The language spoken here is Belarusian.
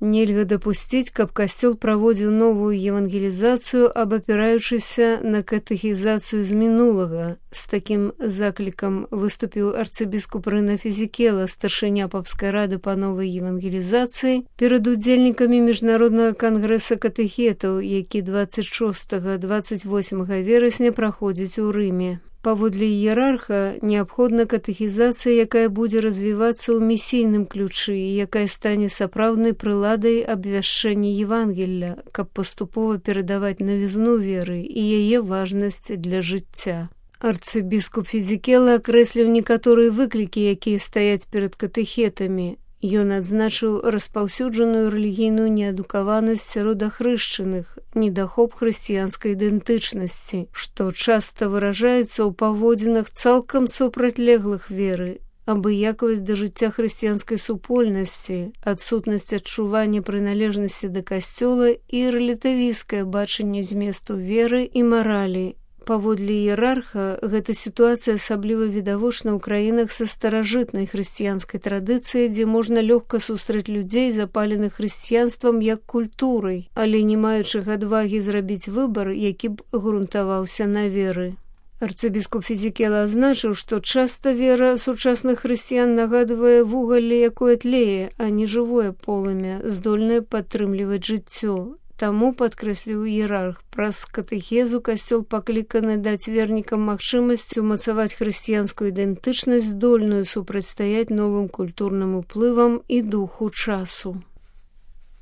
Нельга дапусціць, каб касцёл праводзіў новую евангелізацыю, абапіраючыся на катэхізацыю з мінулага. З такім заклікам выступіў арцыбіскуп Рына Фізікела, старшыня папскай рады па новай евангелізацыі, перад удзельнікамі міжнароднага кангрэса катэхетаў, які 26-28 верасня праходзіць у Рыме. Паводле іерарха, неабходна катэхізацыя, якая будзе развівацца ў місійным ключы і якая стане сапраўднай прыладай абвяшчэння Евангелля, каб паступова перадаваць навізну веры і яе важнасць для жыцця. Арцыбіскуп Фізікела акрэсліў некаторыя выклікі, якія стаяць перад катэхетамі. Ён адзначыў распаўсюджаную рэлігійную неадукаванасць сярод ахрышчаных, недахоп хрысціянскай ідэнтычнасці, што часта выражаецца ў паводзінах цалкам супрацьлеглых веры, абыякавасць да жыцця хрысціянскай супольнасці, адсутнасць адчування прыналежнасці да касцёла і рэлятывісцкае бачанне зместу веры і маралі. Паводле іерарха, гэта сітуацыя асабліва відавочна ў краінах са старажытнай хрысціянскай традыцыяй, дзе можна лёгка сустрэць людзей, запаленых хрысціянствам як культурай, але не маючых адвагі зрабіць выбар, які б грунтаваўся на веры. Арцыбіскуп Фізікела азначыў, што часта вера сучасных хрысціян нагадвае вугалле, якое тлее, а не жывое полымя, здольнае падтрымліваць жыццё. Таму, падкрэсліў іерарх, праз катэхезу касцёл пакліканы даць вернікам магчымасць умацаваць хрысціянскую ідэнтычнасць, здольную супрацьстаяць новым культурным уплывам і духу часу.